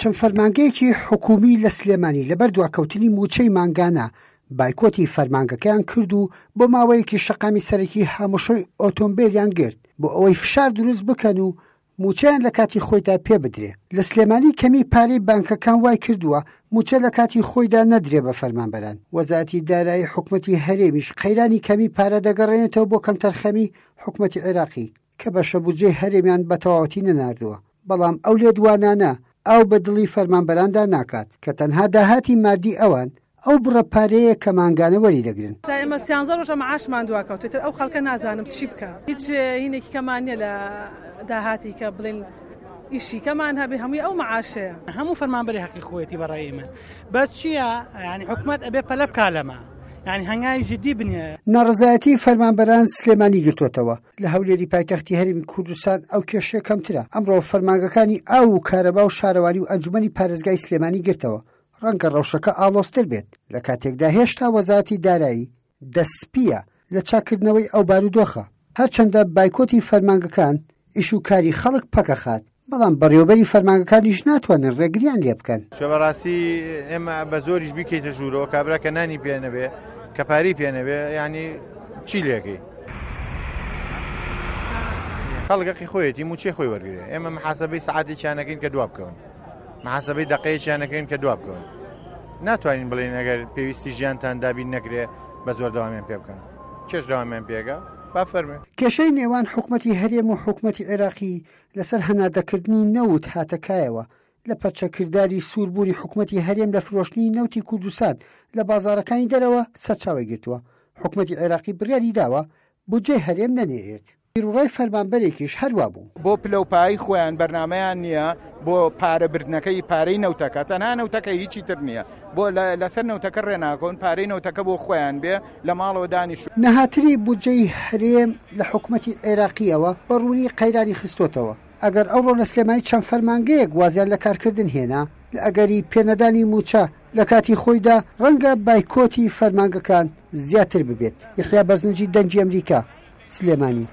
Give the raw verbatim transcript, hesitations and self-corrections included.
چەند فەرمانگەیەکی حکوومی لە سلێمانی لەبەر دواکەوتنی مووچەی مانگانە بایکۆتی فەرمانگەکەیان کرد و بۆ ماوەیەکی شەقامی سەرەکی هاموشۆی ئۆتۆمبیلیان گرت بۆ ئەوەی فشار دروست بکەن و مووچەیان لە کاتی خۆیدا پێ بدرێ. لە سلێمانی کەمی پارەی بانکەکان وای کردووە مووچە لە کاتی خۆیدا نەدرێ بە فەرمانبەران. وەزارەتی دارایی حکومەتی هەرێمیش قەیرانی کەمی پارە دەگەڕێنێتەوە بۆ کەمتەرخەمی حکومەتی عێراقی کە بەشە بودجەی هەرێمیان بە تەواوەتی نەناردووە. بەڵام ئەو لێدوانانە ئاو بە دڵی فەرمانبەراندا ناکات کە تەنها داهاتی مادی ئەوان ئەو بڕە پارەیە کە مانگانە وەری دەگرن. ئێمە سیانزە ڕۆژە معاشمان دواکەوت، ئیتر ئەو خەڵکە نازانم چی بکە. هیچ هینێکی کەمان نییە لە داهاتی کە بڵێن ئیشی کەمان هەبێ، هەمووی ئەو معاشەیە. هەموو فەرمانبەری حەقی خۆیەتی بەڕای من. بەس چییە؟ یعنی حکومەت ئەبێ پەلە بکا لەمە، یعنی هەنگاوی جدی بنێ. ناڕەزایەتی فەرمانبەران سلێمانی گرتووەتەوە. لە هەولێری پایتەختی هەرێمی کوردستان ئەو کێشەیە کەمترە. ئەمڕۆ فەرمانگەکانی ئاو و کارەبا و شارەوانی و ئەنجومەنی پارێزگای سلێمانی گرتەوە. ڕەنگە ڕەوشەکە ئاڵۆزتر بێت لە کاتێکدا هێشتا وەزارەتی دارایی دەستپیە لە چاکردنەوەی ئەو بارودۆخە. هەرچەندە بایکۆتی فەرمانگەکان ئیش و کاری خەڵک پەکەخات، بەڵام بەڕێوەبەری فەرمانگەکانیش ناتوانن ڕێگریان لێ بکەن. چۆ بەڕاستی ئێمە بە زۆریش بیکەیتە ژوورەوە، کابرا کە نانی پێ نەبێ، کە پارەی پێ نەبێ، یعنی چی لێکەی؟ خەڵکەقی خۆیەتی موچەی خۆی وەرگێ. ئێمە محاسبەی سەعاتێکیان نەکەین کە دوا بکەون، محاسبەی دقەیەکیان نەکەین کە دوا بکەون. ناتوانین بڵێین ئەگەر پێویستی ژیانتان دابین نەکرێ بە زۆر دەوامیان پێ بکەن. کێش دەوامیان پێگە؟ با فەرمێ. کێشەی نێوان حکومەتی هەرێم و حکومەتی عێراقی لەسەر هەناردەکردنی نەوت هاتەکایەوە لە پەرچەکرداری سووربوونی حکومەتی هەرێم لە فرۆشتنی نەوتی کوردستان لە بازارەکانی دەرەوە سەرچاوی گرتووە. حکومەتی عێراقی بڕیاری داوە بودجەی هەرێم نەنێرێت. بیروڕای فەرمانبەرێکیش هەروە بوو. بۆ پلەوپایی خۆیان بەرنامەیان نییە بۆ پارەبردنەکەی پارەی نەوتەکە، تەنها نەوتەکە هیچی تر نییە. بۆ لەسەر نەوتەکە ڕێناکەون، پارەی نەوتەکە بۆ خۆیان بێ لە ماڵەوە دانیشت. نەهاتنی بودجەی هەرێم لە حکومەتی عێراقیەوە بە ڕوونی قەیرانی خستۆتەوە. ئەگەر ئەوڕۆ لە سلێمانی چەند فەرمانگەیەک وازیان لە کارکردن هێنا، لە ئەگەری پێنەدانی موچە لە کاتی خۆیدا ڕەنگە بایکۆتی فەرمانگەکان زیاتر ببێت. یحیا بەرزنجی، دەنگی ئەمریکا، سلێمانی.